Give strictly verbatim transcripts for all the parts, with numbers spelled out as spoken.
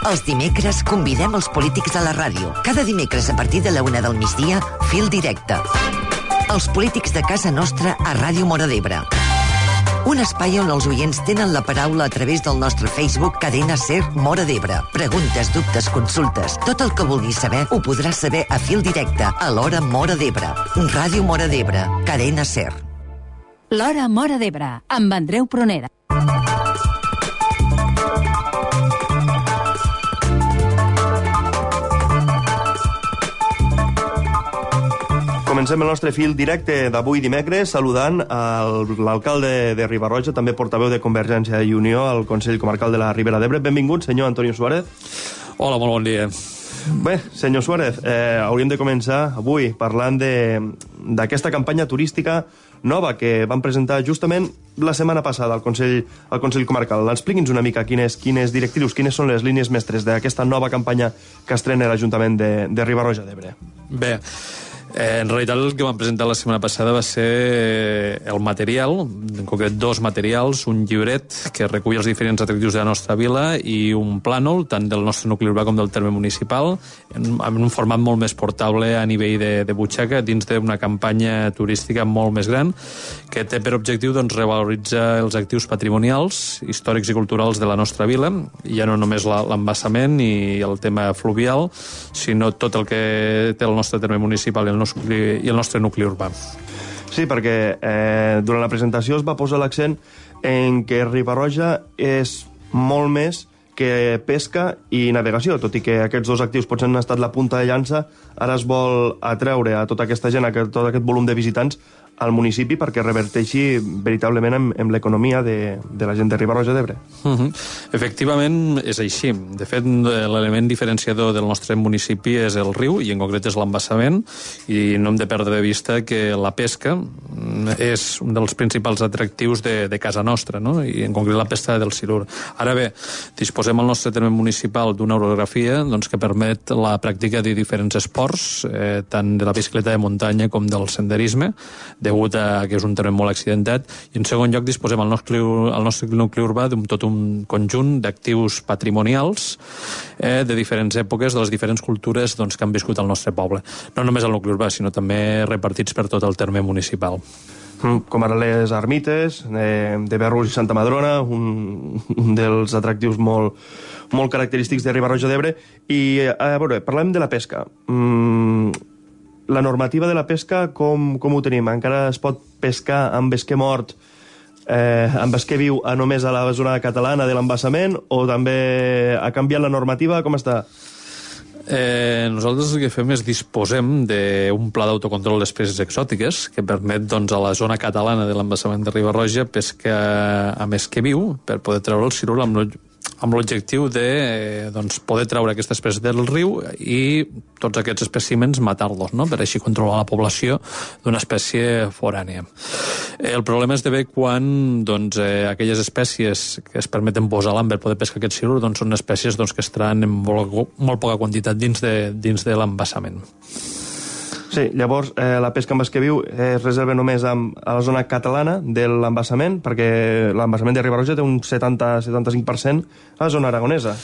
Els dimecres convidem els polítics a la ràdio. Cada dimecres a partir de la una del migdia, Fil Directe. Els polítics de casa nostra a Ràdio Móra d'Ebre. Un espai on els oients tenen la paraula a través del nostre Facebook Cadena Ser Móra d'Ebre. Preguntes, dubtes, consultes. Tot el que vulguis saber ho podràs saber a Fil Directe a l'Hora Móra d'Ebre. Ràdio Móra d'Ebre. Cadena Ser. L'Hora Móra d'Ebre, amb Andreu Pronera. Comencem el nostre fil directe d'avui dimecres saludant l'alcalde de Riba-roja, també portaveu de Convergència i Unió al Consell Comarcal de la Ribera d'Ebre. Benvingut, senyor Antonio Suárez. Hola, molt bon dia. Bé, senyor Suárez, eh, hauríem de començar avui parlant d'aquesta campanya turística nova que van presentar justament la setmana passada al Consell, al Consell Comarcal. Expliqui'ns una mica quines, quines directrius, quines són les línies mestres d'aquesta nova campanya que estrena l'Ajuntament de, de Riba-roja d'Ebre. Bé, Eh, en realitat el que vam presentar la setmana passada va ser el material, en concret dos materials, un llibret que recull els diferents atractius de la nostra vila i un plànol, tant del nostre nucli urbà com del terme municipal, en, en un format molt més portable a nivell de, de butxaca, dins d'una campanya turística molt més gran, que té per objectiu doncs, revaloritzar els actius patrimonials, històrics i culturals de la nostra vila, ja no només l'embassament i el tema fluvial, sinó tot el que té el nostre terme municipal i el i el nostre nucli urbà. Sí, perquè eh, durant la presentació es va posar l'accent en que Riba-roja és molt més que pesca i navegació, tot i que aquests dos actius potser han estat la punta de llança, ara es vol atreure a tota aquesta gent, a tot aquest volum de visitants al municipi perquè reverteixi veritablement en, en l'economia de, de la gent de Riba-roja d'Ebre. Uh -huh. Efectivament, és així. De fet, l'element diferenciador del nostre municipi és el riu, i en concret és l'embassament, i no hem de perdre de vista que la pesca és un dels principals atractius de, de casa nostra, no? I en concret la pesca del silur. Ara bé, disposem al nostre terme municipal d'una orografia doncs, que permet la pràctica de diferents esports, eh, tant de la bicicleta de muntanya com del senderisme, degut a que és un terreny molt accidentat, i en segon lloc disposem al nostre, al nostre nucli urbà d'un tot un conjunt d'actius patrimonials eh, de diferents èpoques, de les diferents cultures doncs, que han viscut al nostre poble. No només al nucli urbà, sinó també repartits per tot el terme municipal. Com ara les ermites eh, de Berrús i Santa Madrona, un, un dels atractius molt, molt característics de Riba-roja d'Ebre. I, a veure, parlem de la pesca. Mm, la normativa de la pesca, com, com ho tenim? Encara es pot pescar amb esquer mort, eh, amb esquer viu a només a la zona catalana de l'embassament, o també ha canviat la normativa? Com està? Eh, nosaltres el que fem és disposem d'un pla d'autocontrol d'espècies exòtiques que permet doncs, a la zona catalana de l'embassament de Riba-roja pescar amb esquer viu per poder treure el silur amb amb l'objectiu de eh, doncs, poder treure aquesta espècie del riu i tots aquests espècimens matar-los, no? Per així controlar la població d'una espècie forània. Eh, el problema és de bé quan doncs, eh, aquelles espècies que es permeten posar a l'am per poder pescar aquest silur doncs, són espècies doncs, que es traen en molt, molt poca quantitat dins de, dins de l'embassament. Sí, llavors eh, la pesca amb esquer viu es reserva només amb, a la zona catalana de l'embassament, perquè l'embassament de Riba-roja té un setanta a setanta-cinc per cent a la zona aragonesa.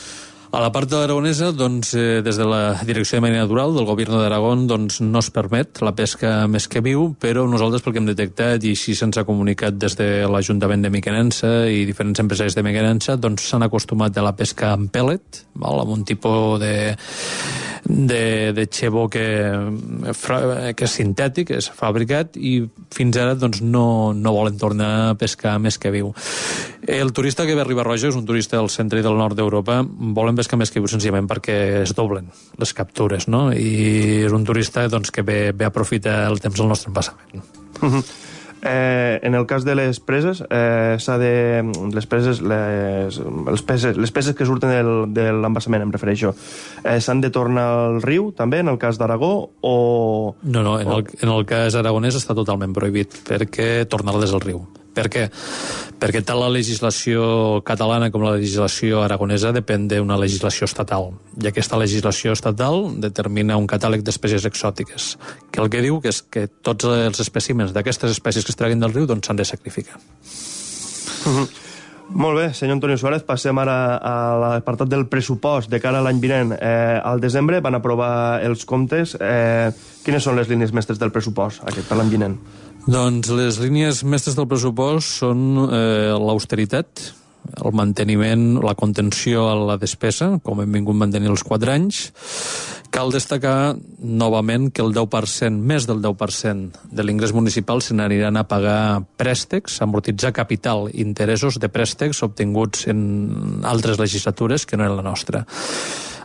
A la part de l'aragonesa, doncs, eh, des de la Direcció de Medi Natural del Govern d'Aragón doncs, no es permet la pesca amb esquer viu, però nosaltres, pel que hem detectat, i així se'ns ha comunicat des de l'Ajuntament de Mequinensa i diferents empresaris de Mequinensa, doncs s'han acostumat a la pesca amb pèl·let, val? Amb un tipus de de, de xebo que, que és sintètic, és fabricat, i fins ara doncs, no, no volen tornar a pescar amb esquer viu. El turista que ve a Riba-roja és un turista del centre i del nord d'Europa, volen pescar amb esquer viu senzillament perquè es doblen les captures, no? I és un turista doncs, que ve, ve a aprofitar el temps del nostre embassament. Uh-huh. Eh, en el cas de les preses, eh, s'ha de... Les preses, les, les, peses, les peses que surten del, de l'embassament, em refereixo, eh, s'han de tornar al riu, també, en el cas d'Aragó, o... No, no, en, o... el, en el cas aragonès està totalment prohibit, perquè tornar-les al riu. Per què? Perquè tant la legislació catalana com la legislació aragonesa depèn d'una legislació estatal. I aquesta legislació estatal determina un catàleg d'espècies exòtiques, que el que diu que és que tots els espècimens d'aquestes espècies que es treguin del riu doncs s'han de sacrificar. Uh-huh. Molt bé, senyor Antonio Suárez, passem ara a l'apartat del pressupost de cara a l'any vinent. Eh, al desembre van aprovar els comptes. Eh, quines són les línies mestres del pressupost aquest per l'any vinent? Doncs les línies mestres del pressupost són eh, l'austeritat, el manteniment, la contenció a la despesa, com hem vingut mantenir els quatre anys. Cal destacar novament que el deu per cent, més del deu per cent de l'ingrés municipal se n'aniran a pagar préstecs, amortitzar capital, interessos de préstecs obtinguts en altres legislatures que no en la nostra.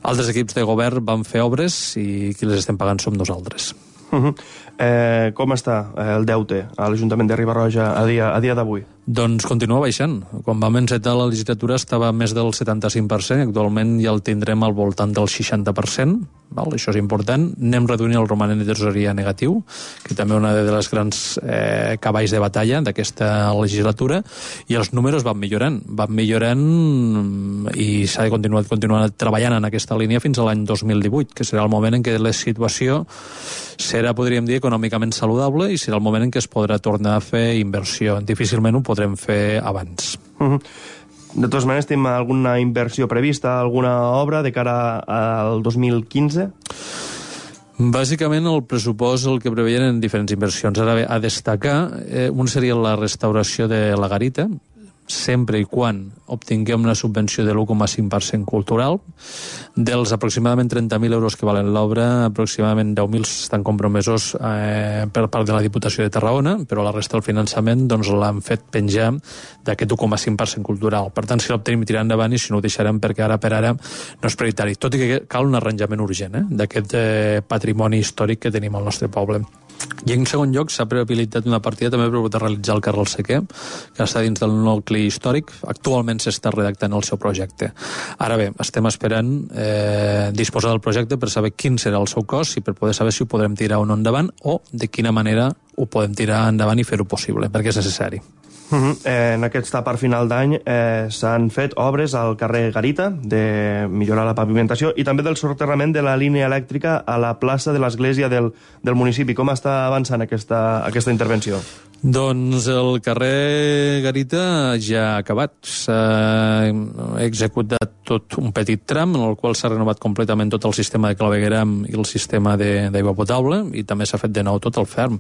Altres equips de govern van fer obres i qui les estem pagant som nosaltres. Uh -huh. eh, com està el deute a l'Ajuntament de Riba-roja a dia, a dia d'avui? Doncs continua baixant. Quan vam encetar la legislatura estava a més del setanta-cinc per cent, actualment ja el tindrem al voltant del seixanta per cent, val? Això és important. Anem reduint el romanent de tresoreria negatiu, que també és una de les grans eh, cavalls de batalla d'aquesta legislatura, i els números van millorant, van millorant i s'ha de continuar, continuar treballant en aquesta línia fins a l'any dos mil divuit, que serà el moment en què la situació serà, podríem dir, econòmicament saludable i serà el moment en què es podrà tornar a fer inversió. Difícilment ho podrem fer abans. Uh -huh. De totes maneres, tenim alguna inversió prevista, alguna obra de cara al dos mil quinze? Bàsicament, el pressupost el que preveien en diferents inversions. Ara bé, a destacar, eh, un seria la restauració de la garita, sempre i quan obtinguem una subvenció de l'u coma cinc per cent cultural. Dels aproximadament trenta mil euros que valen l'obra, aproximadament deu mil estan compromesos eh, per part de la Diputació de Tarragona, però la resta del finançament doncs, l'han fet penjar d'aquest u coma cinc per cent cultural. Per tant, si l'obtenim, tirar endavant, i si no ho deixarem perquè ara per ara no és prioritari. Tot i que cal un arranjament urgent eh, d'aquest eh, patrimoni històric que tenim al nostre poble. I en segon lloc s'ha prehabilitat una partida també per poder realitzar el carrer al Sequer, que està dins del nucli històric. Actualment s'està redactant el seu projecte. Ara bé, estem esperant eh, disposar del projecte per saber quin serà el seu cost i per poder saber si ho podrem tirar o no endavant o de quina manera ho podem tirar endavant i fer-ho possible, perquè és necessari. Uh -huh. eh, en aquesta part final d'any eh, s'han fet obres al carrer Garita de millorar la pavimentació i també del soterrament de la línia elèctrica a la plaça de l'església del, del municipi. Com està avançant aquesta, aquesta intervenció? Doncs el carrer Garita ja ha acabat. S'ha executat tot un petit tram en el qual s'ha renovat completament tot el sistema de clavegueram i el sistema d'aigua potable i també s'ha fet de nou tot el ferm.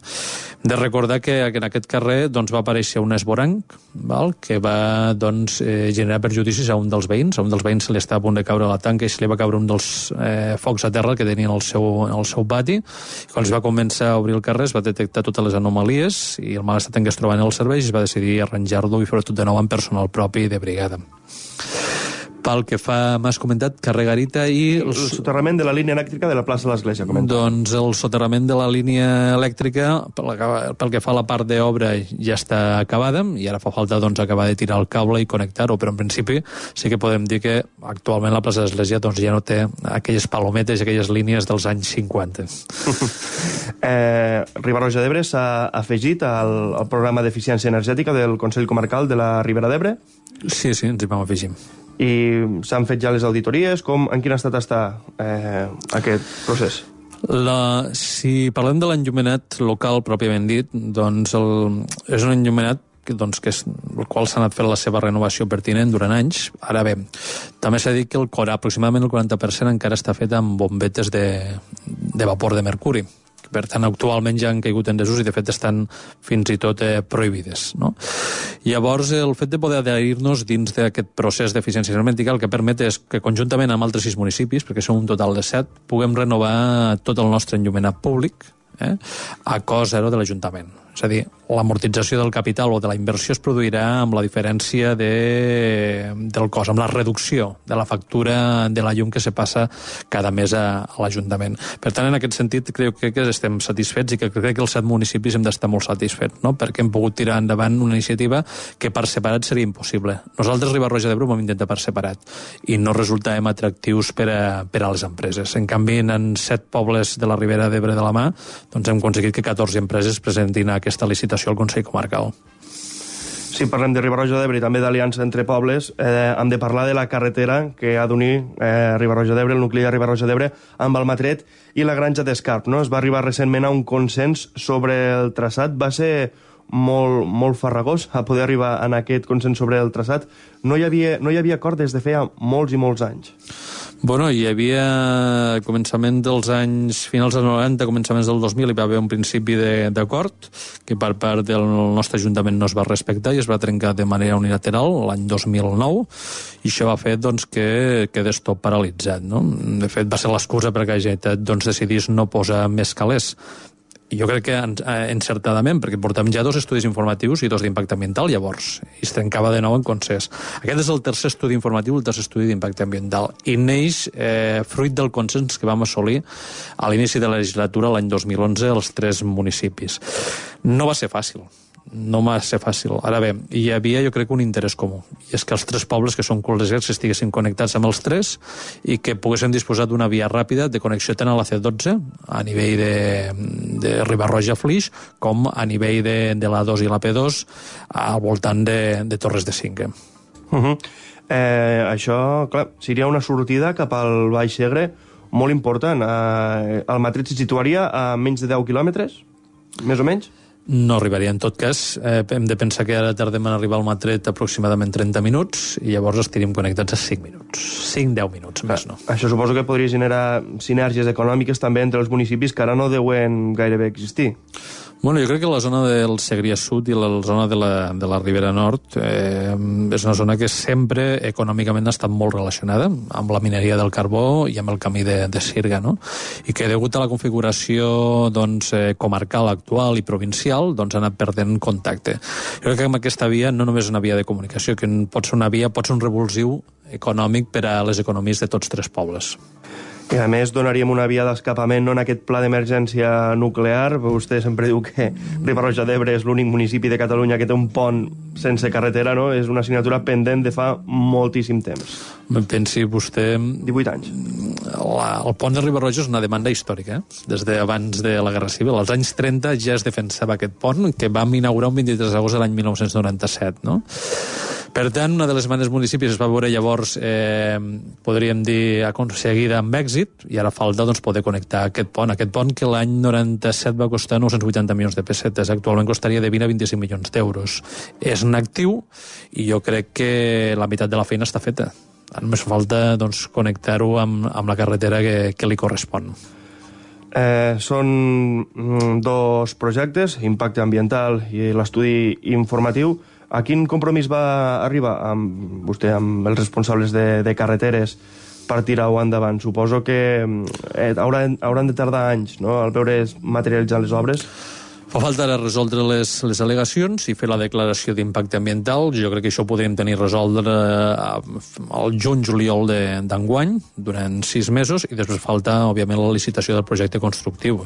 De recordar que en aquest carrer doncs, va aparèixer un esvoranc val? que va doncs, eh, generar perjudicis a un dels veïns. A un dels veïns se li estava a punt de caure a la tanca i se li va caure un dels eh, focs a terra que tenien al seu, al seu pati. I quan es va començar a obrir el carrer es va detectar totes les anomalies i el mal estat en què es troben els serveis i es va decidir arranjar-lo i fer-ho tot de nou amb personal propi de brigada. Pel que fa, m'has comentat, carrer Garita i... El soterrament de la línia elèctrica de la plaça de l'Església, comenta. Doncs el soterrament de la línia elèctrica, pel que fa a la part d'obra, ja està acabada i ara fa falta doncs, acabar de tirar el cable i connectar-ho, però en principi sí que podem dir que actualment la plaça de l'Església doncs, ja no té aquelles palometes i aquelles línies dels anys cinquanta. eh, Riba-roja d'Ebre s'ha afegit al, al programa d'eficiència energètica del Consell Comarcal de la Ribera d'Ebre? Sí, sí, ens hi vam afegir. I s'han fet ja les auditories? Com, en quin estat està eh, aquest procés? La, si parlem de l'enllumenat local pròpiament dit, doncs el, és un enllumenat que, doncs, que és, el qual s'ha anat fent la seva renovació pertinent durant anys. Ara bé, també s'ha dit que el cor, aproximadament el quaranta per cent encara està fet amb bombetes de, de vapor de mercuri. Per tant, actualment ja han caigut en desús i, de fet, estan fins i tot eh, prohibides. No? Llavors, el fet de poder adherir-nos dins d'aquest procés d'eficiència energètica el que permet és que, conjuntament amb altres sis municipis, perquè som un total de set, puguem renovar tot el nostre enllumenat públic eh, a cost zero de l'Ajuntament. És a dir, l'amortització del capital o de la inversió es produirà amb la diferència de, del cost, amb la reducció de la factura de la llum que se passa cada mes a, a l'Ajuntament. Per tant, en aquest sentit, crec que estem satisfets i que crec que els set municipis hem d'estar molt satisfets, no? Perquè hem pogut tirar endavant una iniciativa que per separat seria impossible. Nosaltres, Riba-roja d'Ebre, ho vam intentar per separat i no resultàvem atractius per a, per a les empreses. En canvi, en set pobles de la Ribera d'Ebre de la mà, doncs hem aconseguit que catorze empreses presentin aquesta licitació al Consell Comarcal. Si parlem de Riba-roja d'Ebre i també d'aliança entre pobles, eh, hem de parlar de la carretera que ha d'unir eh, Riba-roja d'Ebre, el nucli de Riba-roja d'Ebre, amb Almatret i la Granja d'Escarp. No? Es va arribar recentment a un consens sobre el traçat. Va ser molt, molt farragós a poder arribar en aquest consens sobre el traçat. No hi havia, no hi havia acord des de feia molts i molts anys. Bueno, hi havia començament dels anys finals dels noranta, començaments del dos mil, hi va haver un principi d'acord que per part del nostre Ajuntament no es va respectar i es va trencar de manera unilateral l'any dos mil nou, i això va fer doncs, que quedés tot paralitzat. No? De fet, va ser l'excusa perquè la Generalitat doncs, decidís no posar més calés. I jo crec que encertadament, perquè portem ja dos estudis informatius i dos d'impacte ambiental, llavors, i es trencava de nou en consens. Aquest és el tercer estudi informatiu, el tercer estudi d'impacte ambiental, i neix eh, fruit del consens que vam assolir a l'inici de la legislatura l'any dos mil onze als tres municipis. No va ser fàcil. No va ser fàcil. Ara bé, hi havia, jo crec, un interès comú. I és que els tres pobles que són col·legiats estiguessin connectats amb els tres i que poguessin disposar d'una via ràpida de connexió tant a la C dotze, a nivell de, de Riba-roja-Flix, com a nivell de, de la dos i la P dos, al voltant de, de Torres de Cinque. Uh -huh. eh, això, clar, seria una sortida cap al Baix Segre molt important. Eh, el Matret se situaria a menys de deu quilòmetres, més o menys? No arribaria. En tot cas, eh, hem de pensar que ara tardem en arribar al Matret aproximadament trenta minuts i llavors estaríem connectats a cinc minuts. cinc a deu minuts, més no. Això suposo que podria generar sinergies econòmiques també entre els municipis que ara no deuen gairebé existir. Bueno, jo crec que la zona del Segrià Sud i la zona de la, de la Ribera Nord eh, és una zona que sempre econòmicament ha estat molt relacionada amb la mineria del carbó i amb el camí de, de Sirga, no? I que degut a la configuració doncs, eh, comarcal actual i provincial doncs, ha anat perdent contacte. Jo crec que amb aquesta via no només una via de comunicació, que pot ser una via, pot ser un revulsiu econòmic per a les economies de tots tres pobles. I a més donaríem una via d'escapament no, en aquest pla d'emergència nuclear. Vostè sempre diu que Riba-roja d'Ebre és l'únic municipi de Catalunya que té un pont sense carretera, no? És una assignatura pendent de fa moltíssim temps. Pensi vostè... divuit anys. La, el pont de Riba-roja és una demanda històrica, eh? Des d'abans de la Guerra Civil. Als anys trenta ja es defensava aquest pont, que vam inaugurar un vint-i-tres d'agost de l'any mil nou-cents noranta-set, no? Per tant, una de les demandes municipis es va veure llavors, eh, podríem dir, aconseguida amb èxit, i ara falta doncs, poder connectar aquest pont. Aquest pont que l'any noranta-set va costar nou-cents vuitanta milions de pessetes, actualment costaria de vint a vint-i-cinc milions d'euros. És un actiu i jo crec que la meitat de la feina està feta. Només falta doncs, connectar-ho amb, amb la carretera que, que li correspon. Eh, són dos projectes, impacte ambiental i l'estudi informatiu. A quin compromís va arribar amb vostè, amb els responsables de, de carreteres per tirar-ho endavant? Suposo que eh, hauran, hauran de tardar anys, no?, al veure materialitzar les obres. Fa falta resoldre les, les al·legacions i fer la declaració d'impacte ambiental. Jo crec que això ho podríem tenir resoldre al juny-juliol d'enguany, durant sis mesos, i després falta, òbviament, la licitació del projecte constructiu.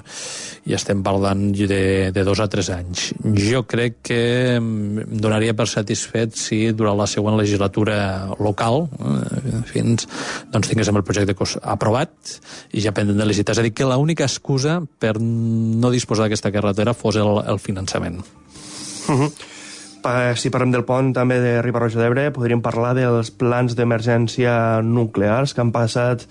I estem parlant de, de dos a tres anys. Jo crec que em donaria per satisfet si durant la següent legislatura local eh, fins doncs, tinguéssim el projecte aprovat i ja pendent de licitar. És a dir, que l'única excusa per no disposar d'aquesta carretera fos el, el finançament. Uh -huh. Si parlem del pont també de Riba-roja d'Ebre, podríem parlar dels plans d'emergència nuclears que han passat...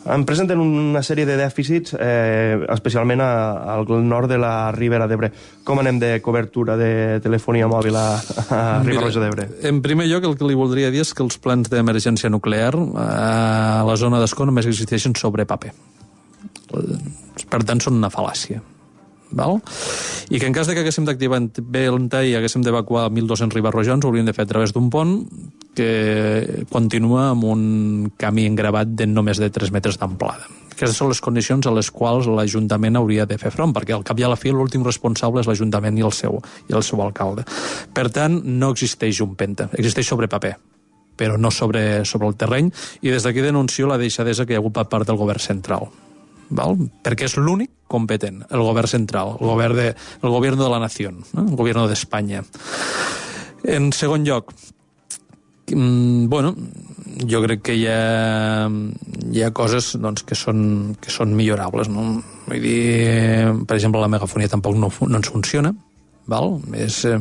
En presenten una sèrie de dèficits, eh, especialment a, al nord de la Ribera d'Ebre. Com anem de cobertura de telefonia mòbil a, a Riba-roja d'Ebre? En primer lloc, el que li voldria dir és que els plans d'emergència nuclear a la zona d'Ascó només existeixen sobre paper. Per tant, són una fal·làcia. Val? I que en cas de que haguéssim d'activar bé el T A I i haguéssim d'evacuar mil dos-cents ribarrojans, ho hauríem de fer a través d'un pont que continua amb un camí engravat de no més de tres metres d'amplada. Aquestes són les condicions a les quals l'Ajuntament hauria de fer front, perquè al cap i a la fi l'últim responsable és l'Ajuntament i el seu i el seu alcalde. Per tant, no existeix un penta, existeix sobre paper, però no sobre, sobre el terreny, i des d'aquí denuncio la deixadesa que hi ha hagut per part del govern central. Val? Perquè és l'únic competent, el govern central, el govern de, el govern de la nació, no? El govern d'Espanya. En segon lloc, mm, bueno, jo crec que hi ha, hi ha coses doncs, que, són, que són millorables. No? Vull dir, per exemple, la megafonia tampoc no, no ens funciona. Val? És, eh,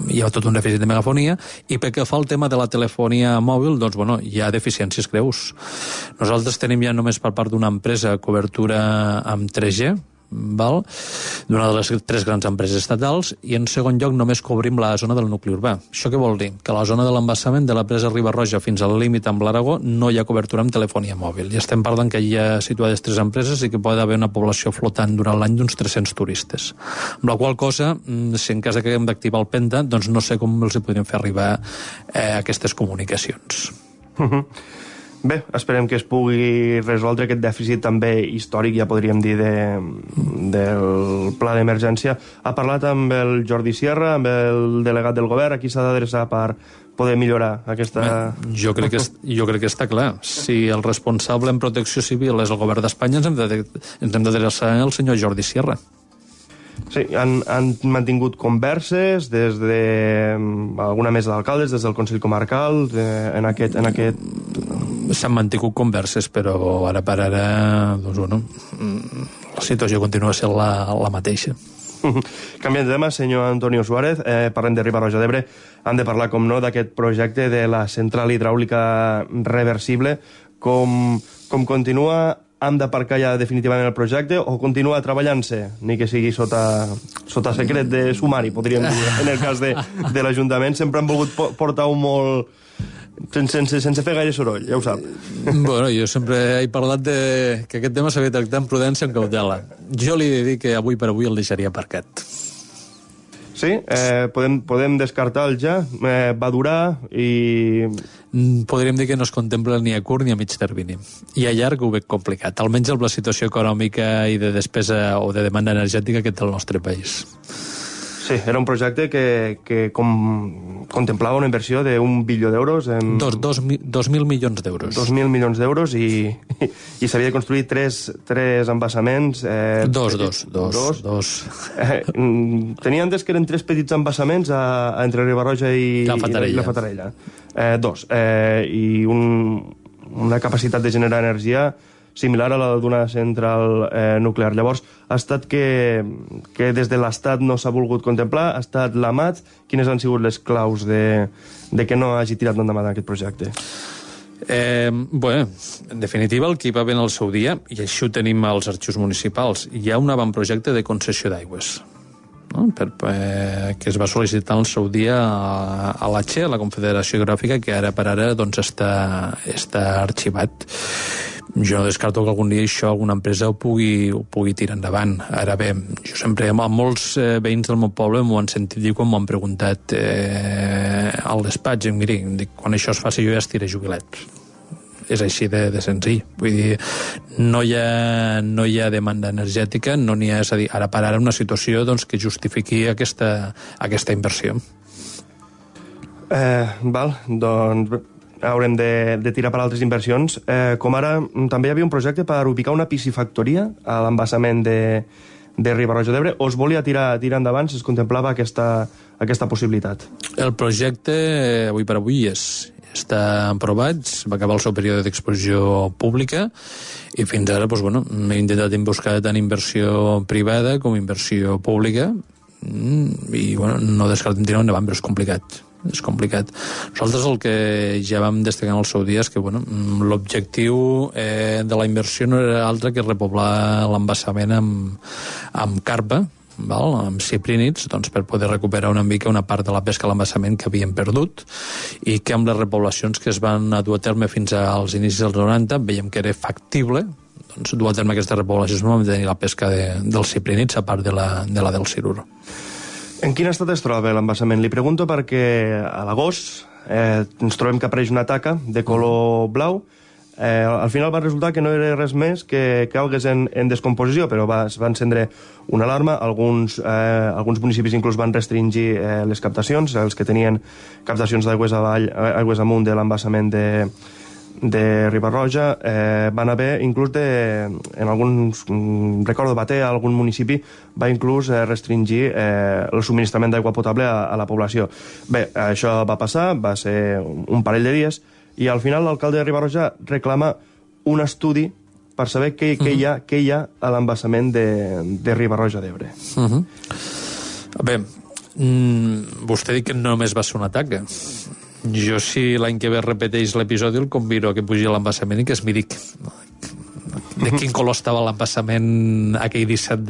hi ha tot un dèficit de megafonia, i pel que fa al tema de la telefonia mòbil, doncs, bueno, hi ha deficiències greus. Nosaltres tenim ja només per part d'una empresa cobertura amb tres G, val? D'una de les tres grans empreses estatals, i en segon lloc només cobrim la zona del nucli urbà. Això què vol dir? Que a la zona de l'embassament de la presa Riba-roja fins al límit amb l'Aragó no hi ha cobertura amb telefonia mòbil. I estem parlant que hi ha situades tres empreses i que pot haver una població flotant durant l'any d'uns tres-cents turistes. Amb la qual cosa, si en cas que haguem d'activar el Penta, doncs no sé com els podríem fer arribar eh, aquestes comunicacions. Bé, esperem que es pugui resoldre aquest dèficit també històric, ja podríem dir, de, del pla d'emergència. Ha parlat amb el Jordi Sierra, amb el delegat del govern, a qui s'ha d'adreçar per poder millorar aquesta... Bé, jo, crec que, jo crec que està clar. Si el responsable en protecció civil és el govern d'Espanya, ens hem d'adreçar al senyor Jordi Sierra. Sí, han, han mantingut converses des de alguna mesa d'alcaldes, des del Consell Comarcal, de, en aquest... En aquest... S'han mantingut converses, però ara per ara, doncs, bueno, la situació continua sent la, la mateixa. Canviant de tema, senyor Antonio Suárez, eh, parlem de Riba-roja d'Ebre, han de parlar, com no, d'aquest projecte de la central hidràulica reversible. Com, com continua, hem d'aparcar ja definitivament el projecte o continua treballant-se, ni que sigui sota, sota secret de sumari, podríem dir, en el cas de, de l'Ajuntament. Sempre han volgut portar un molt... Sense, sense fer gaire soroll, ja ho sap. Bueno, jo sempre he parlat de que aquest tema s'havia de tractar amb prudència, amb cautela. Jo li he de dir que avui per avui el deixaria aparcat. Sí? Eh, podem, podem descartar-el ja? Eh, va durar i... Podríem dir que no es contempla ni a curt ni a mig termini. I a llarg ho veig complicat, almenys amb la situació econòmica i de despesa o de demanda energètica que té el nostre país. Sí, era un projecte que, que com, contemplava una inversió d'un bilió d'euros. En... Dos, dos, dos mil milions d'euros. Dos mil milions d'euros i, i, i s'havia de construir tres, tres embassaments. Eh, dos, dos, dos, dos. dos. Eh, tenia entès que eren tres petits embassaments a, a entre Riba-roja i la Fatarella. I la Fatarella. Eh, dos. Eh, I un, una capacitat de generar energia similar a la d'una central eh, nuclear. Llavors, ha estat que, que des de l'Estat no s'ha volgut contemplar, ha estat l'Amat. Quines han sigut les claus de, de que no hagi tirat endavant aquest projecte? Eh, bueno, en definitiva, el que hi va haver en el seu dia, i això ho tenim als arxius municipals, hi ha un avantprojecte de concessió d'aigües, no? per, per, que es va sol·licitar en el seu dia a, a l'A T X E, a la Confederació Hidrogràfica, que ara per ara doncs, està, està arxivat. Jo no descarto que algun dia això alguna empresa ho pugui, ho pugui tirar endavant. Ara bé, jo sempre, amb molts eh, veïns del meu poble m'ho han sentit dir quan m'ho han preguntat eh, al despatx, i miri, dic, quan això es faci jo ja estiré jubilat. És així de, de senzill. Vull dir, no hi ha, no hi ha demanda energètica, no n'hi ha, és a dir, ara per ara una situació doncs, que justifiqui aquesta, aquesta inversió. Eh, val, doncs haurem de, de tirar per altres inversions. Eh, com ara, també hi havia un projecte per ubicar una piscifactoria a l'embassament de, de Riba-roja d'Ebre. O es volia tirar, tirar endavant si es contemplava aquesta, aquesta possibilitat? El projecte, avui per avui, és, està aprovat, va acabar el seu període d'exposició pública i fins ara doncs, bueno, hem intentat buscar tant inversió privada com inversió pública i bueno, no descartem tirar endavant, però és complicat. és complicat. Nosaltres el que ja vam destacar en el seu dia és que bueno, l'objectiu eh, de la inversió no era altre que repoblar l'embassament amb, amb carpa, val? Amb ciprínids, doncs, per poder recuperar una mica una part de la pesca a l'embassament que havíem perdut i que amb les repoblacions que es van dur a terme fins als inicis dels noranta veiem que era factible doncs, dur a terme aquestes repoblacions per mantenir la pesca de, dels ciprínids a part de la, de la del silur. En quin estat es troba l'embassament? Li pregunto perquè a l'agost eh, ens trobem que apareix una taca de color blau. Eh, al final va resultar que no era res més que, que algues en, en descomposició, però va, es va encendre una alarma. Alguns, eh, alguns municipis inclús van restringir eh, les captacions, els que tenien captacions d'aigües avall, aigües amunt de l'embassament de, de Riba-roja, eh, van haver inclús de, en alguns, recordo Bater, algun municipi va inclús eh, restringir eh, el subministrament d'aigua potable a, a la població. Bé, això va passar, va ser un parell de dies, i al final l'alcalde de Riba-roja reclama un estudi per saber què, què, uh -huh. hi, ha, què hi ha a l'embassament de, de Riba-roja d'Ebre. Uh -huh. Bé, mm, vostè ha dit que no només va ser una taca. Jo, si l'any que ve repeteix l'episodi, el convido a que pugi a l'embassament i que es miri de quin color estava l'embassament aquell disset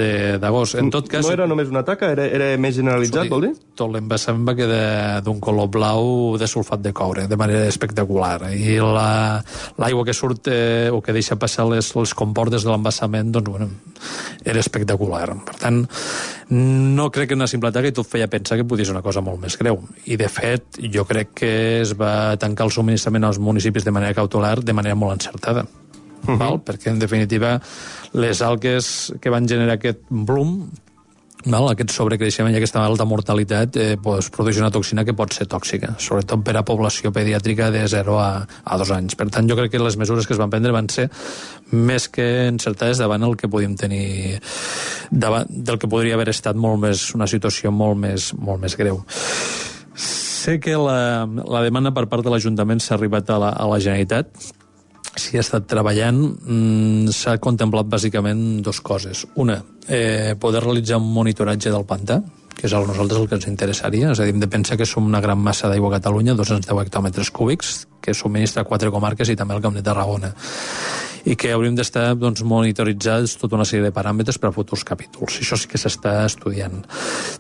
d'agost. En tot cas... No era només una taca, era, era més generalitzat, vol dir? Tot l'embassament va quedar d'un color blau de sulfat de coure, de manera espectacular. I l'aigua que surt eh, o que deixa passar les, les comportes de l'embassament, doncs, bueno, era espectacular. Per tant, no crec que una simple taca i tot feia pensar que podia ser una cosa molt més greu. I, de fet, jo crec que es va tancar el subministrament als municipis de manera cautelar, de manera molt encertada. Uh-huh. Val? Perquè, en definitiva, les algues que van generar aquest bloom, val? Aquest sobrecreixement i aquesta alta mortalitat, eh, pues, produeix una toxina que pot ser tòxica, sobretot per a població pediàtrica de zero a dos anys. Per tant, jo crec que les mesures que es van prendre van ser més que encertades davant el que podíem tenir, davant del que podria haver estat molt més, una situació molt més, molt més greu. Sé que la, la demanda per part de l'Ajuntament s'ha arribat a la, a la Generalitat. S'hi ha estat treballant. Mm, s'ha contemplat bàsicament dues coses. Una, eh, poder realitzar un monitoratge del pantà, que és a nosaltres el que ens interessaria. És a dir, hem de pensar que som una gran massa d'aigua a Catalunya, dos-cents deu hectòmetres cúbics, que subministra quatre comarques i també el Camp de Tarragona. I que hauríem d'estar doncs, monitoritzats tota una sèrie de paràmetres per a futurs capítols. Això sí que s'està estudiant.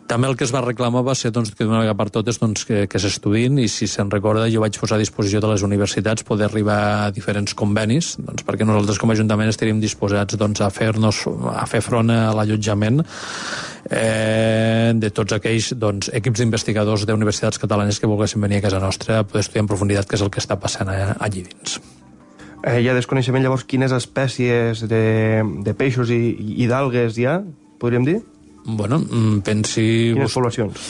També el que es va reclamar va ser doncs, que d'una vegada per totes doncs, que, que s'estudin, i si se'n recorda jo vaig posar a disposició de les universitats poder arribar a diferents convenis, doncs, perquè nosaltres com a Ajuntament estaríem disposats doncs, a fer-nos a fer front a l'allotjament eh, de tots aquells doncs, equips d'investigadors d'universitats catalanes que volguessin venir a casa nostra a poder estudiar en profunditat què és el que està passant allí dins. Eh, hi ha desconeixement, llavors, quines espècies de, de peixos i, i d'algues hi ha, podríem dir? Bueno, pensi... Quines poblacions?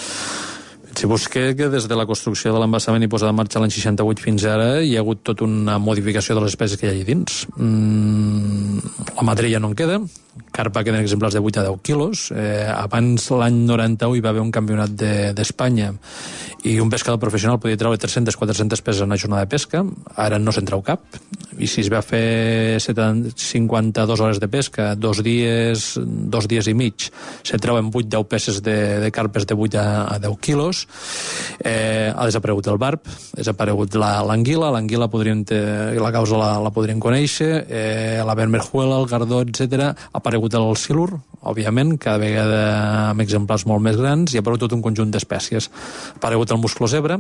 Si busqué que des de la construcció de l'embassament i posada en marxa l'any seixanta-vuit fins ara hi ha hagut tota una modificació de les espècies que hi ha allà dins. Mm, la madrella no en queda, carpa queden exemplars de vuit a deu quilos. Eh, abans, l'any noranta-u, hi va haver un campionat d'Espanya de, i un pescador professional podia treure tres-centes a quatre-centes peces en una jornada de pesca. Ara no se'n treu cap. I si es va fer cinquanta-dues hores de pesca, dos dies, dos dies i mig, se treuen vuit a deu peces de, de carpes de vuit a deu quilos. Eh, ha desaparegut el barb, ha desaparegut l'anguila, l'anguila la causa la, la podríem conèixer, eh, la vermerjuela, el gardó, etcètera. Ha aparegut el silur, òbviament, cada vegada amb exemplars molt més grans, i ha aparegut tot un conjunt d'espècies. Ha aparegut el musclo zebra,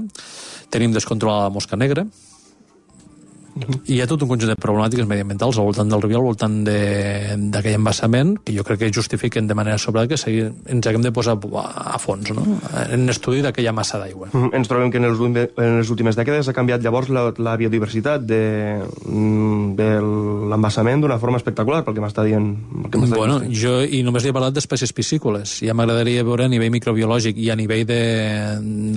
tenim descontrolada la mosca negra, i hi ha tot un conjunt de problemàtiques mediambientals al voltant del riu, al voltant d'aquell embassament, que jo crec que justifiquen de manera sobrada que segui, ens haguem de posar a fons, no? En estudi d'aquella massa d'aigua. Mm, ens trobem que en les, en les últimes dècades ha canviat llavors la, la biodiversitat de, de l'embassament d'una forma espectacular, pel que m'està dient. Bueno, dient. jo i només li he parlat d'espècies piscícoles. Ja m'agradaria veure a nivell microbiològic i a nivell de,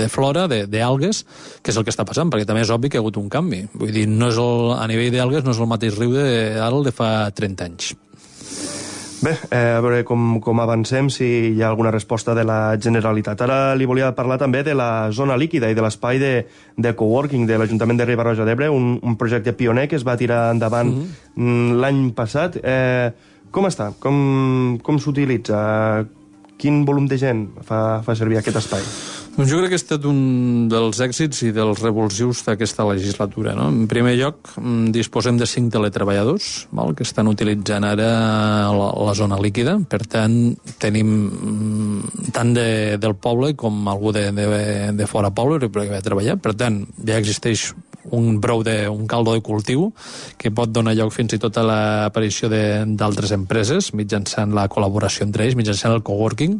de flora, d'algues, què és el que està passant, perquè també és obvi que hi ha hagut un canvi. Vull dir, no és el a nivell d'algues no és el mateix riu d'ara el de fa trenta anys. Bé, eh, a veure com, com avancem, si hi ha alguna resposta de la Generalitat. Ara li volia parlar també de la zona líquida i de l'espai de, de coworking de l'Ajuntament de Riba-roja d'Ebre, un, un projecte pioner que es va tirar endavant mm-hmm. l'any passat. Eh, com està? Com, com s'utilitza? Quin volum de gent fa, fa servir aquest espai? Doncs jo crec que ha estat un dels èxits i dels revulsius d'aquesta legislatura. No? En primer lloc, disposem de cinc teletreballadors val, que estan utilitzant ara la, la zona líquida. Per tant, tenim tant de, del poble com algú de, de, de fora poble que va treballar. Per tant, ja existeix un brou de, un caldo de cultiu que pot donar lloc fins i tot a l'aparició d'altres empreses mitjançant la col·laboració entre ells, mitjançant el coworking.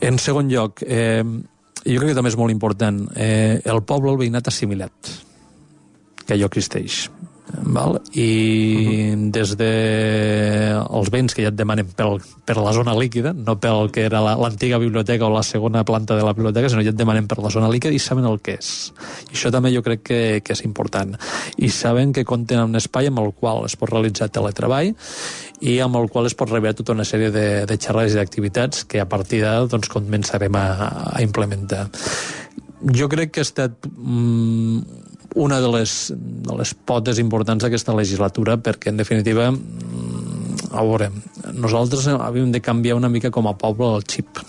En segon lloc, eh, jo crec que també és molt important, eh, el poble, el veïnat assimilat, que allò existeix. Val? I uh-huh. des de els béns que ja et demanen pel, per la zona líquida, no pel que era l'antiga la, biblioteca o la segona planta de la biblioteca, sinó ja et demanen per la zona líquida i saben el que és. I això també jo crec que, que és important. I saben que compten amb un espai amb el qual es pot realitzar teletreball i amb el qual es pot rebre tota una sèrie de, de xerrades i d'activitats que a partir d'ara doncs, començarem a, a implementar. Jo crec que ha estat mm, una de les, de les potes importants d'aquesta legislatura, perquè, en definitiva, mm, a veure, nosaltres havíem de canviar una mica com a poble el xip.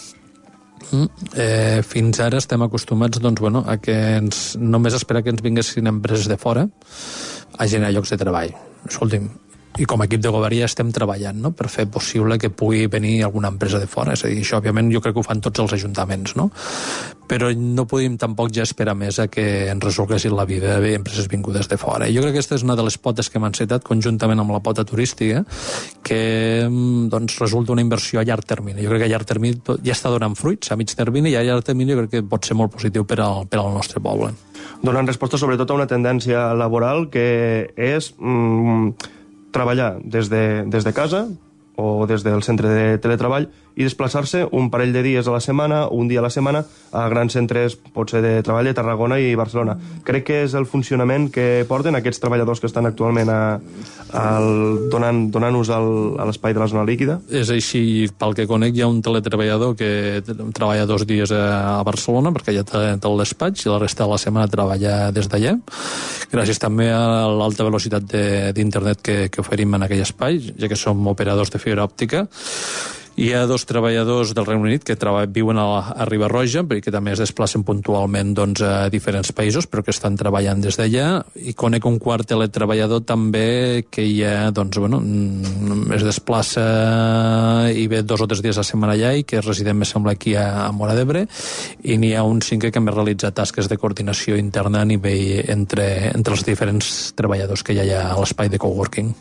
Mm? Eh, fins ara estem acostumats doncs, bueno, a que ens, només esperar que ens vinguessin empreses de fora a generar llocs de treball. Escolti'm, i com a equip de govern ja estem treballant, no?, per fer possible que pugui venir alguna empresa de fora. És a dir, això òbviament jo crec que ho fan tots els ajuntaments, no? Però no podem tampoc ja esperar més a que ens resolguessin la vida bé empreses vingudes de fora. I jo crec que aquesta és una de les potes que hem encetat conjuntament amb la pota turística, que doncs, resulta una inversió a llarg termini. Jo crec que a llarg termini ja està donant fruits, a mig termini, i a llarg termini jo crec que pot ser molt positiu per al, per al nostre poble. Donant resposta sobretot a una tendència laboral que és mm, treballar des de, des de casa o des del centre de teletreball i desplaçar-se un parell de dies a la setmana, un dia a la setmana, a grans centres, potser de treball de Tarragona i Barcelona. Crec que és el funcionament que porten aquests treballadors que estan actualment a, a, donant, donant-nos al, a l'espai de la zona líquida. És així, pel que conec, hi ha un teletreballador que treballa dos dies a Barcelona, perquè ja té el despatx, i la resta de la setmana treballa des d'allà, gràcies també a l'alta velocitat d'internet que, que oferim en aquell espai, ja que som operadors de fibra òptica. Hi ha dos treballadors del Regne Unit que viuen a, a Riba-roja, perquè també es desplacen puntualment doncs, a diferents països, però que estan treballant des d'allà, i conec un quart teletreballador també que ja doncs, bueno, es desplaça i ve dos o tres dies a la setmana allà i que és resident, me sembla, aquí a, a Móra d'Ebre, i n'hi ha un cinquè que més realitza tasques de coordinació interna a nivell entre, entre els diferents treballadors que hi ha a l'espai de coworking.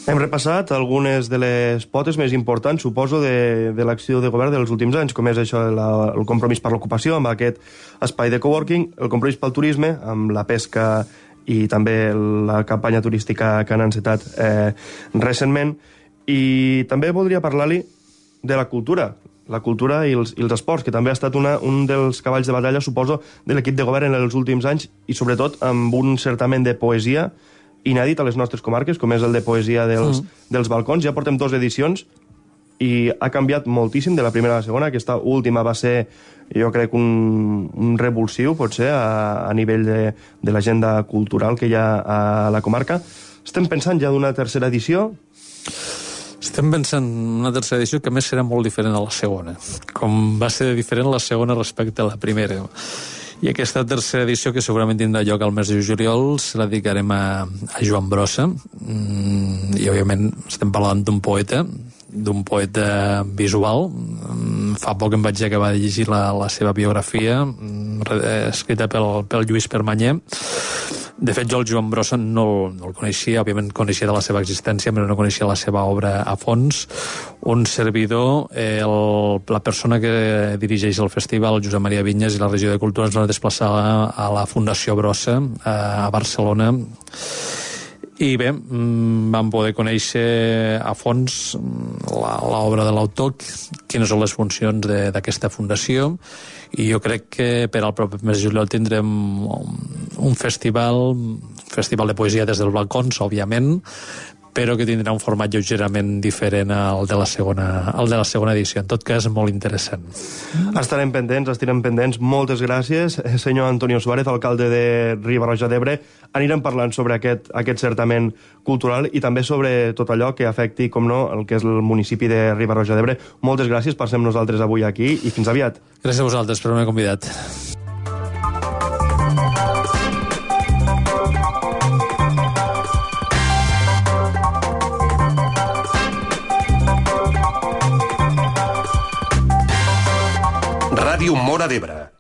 Hem repassat algunes de les potes més importants, suposo, de, de l'acció de govern dels últims anys, com és això, la, el compromís per l'ocupació amb aquest espai de coworking, el compromís pel turisme, amb la pesca i també la campanya turística que han encetat eh, recentment. I també voldria parlar-li de la cultura, la cultura i els, i els esports, que també ha estat una, un dels cavalls de batalla, suposo, de l'equip de govern en els últims anys, i sobretot amb un certament de poesia inèdit a les nostres comarques, com és el de poesia dels, mm. dels balcons. Ja portem dues edicions i ha canviat moltíssim de la primera a la segona. Aquesta última va ser, jo crec, un, un revulsiu, potser, a, a nivell de, de l'agenda cultural que hi ha a la comarca. Estem pensant ja d'una tercera edició? Estem pensant en una tercera edició que, a més, serà molt diferent a la segona, com va ser diferent la segona respecte a la primera. I aquesta tercera edició, que segurament tindrà lloc al mes de juliol, se la dedicarem a, a Joan Brossa. Mm, I, òbviament, estem parlant d'un poeta, d'un poeta visual. Mm, fa poc em vaig acabar de llegir la, la seva biografia, mm, escrita pel, pel Lluís Permanyer. De fet, jo el Joan Brossa no, no el coneixia, òbviament coneixia de la seva existència, però no coneixia la seva obra a fons. Un servidor, eh, el, la persona que dirigeix el festival, Josep Maria Vinyes, i la regió de Cultura, ens va desplaçar a, a la Fundació Brossa, a, a Barcelona, i bé, vam poder conèixer a fons l'obra de l'autor, quines són les funcions d'aquesta fundació, i jo crec que per al proper mes de juliol tindrem un festival, un festival de poesia des dels balcons, òbviament, però que tindrà un format lleugerament diferent al de la segona, al de la segona edició. En tot cas, molt interessant. Estarem pendents, estarem pendents. Moltes gràcies, senyor Antonio Suárez, alcalde de Riba-roja d'Ebre. Anirem parlant sobre aquest, aquest certament cultural i també sobre tot allò que afecti, com no, el que és el municipi de Riba-roja d'Ebre. Moltes gràcies per ser amb nosaltres avui aquí i fins aviat. Gràcies a vosaltres per haver-me convidat. Ràdio Móra d'Ebre.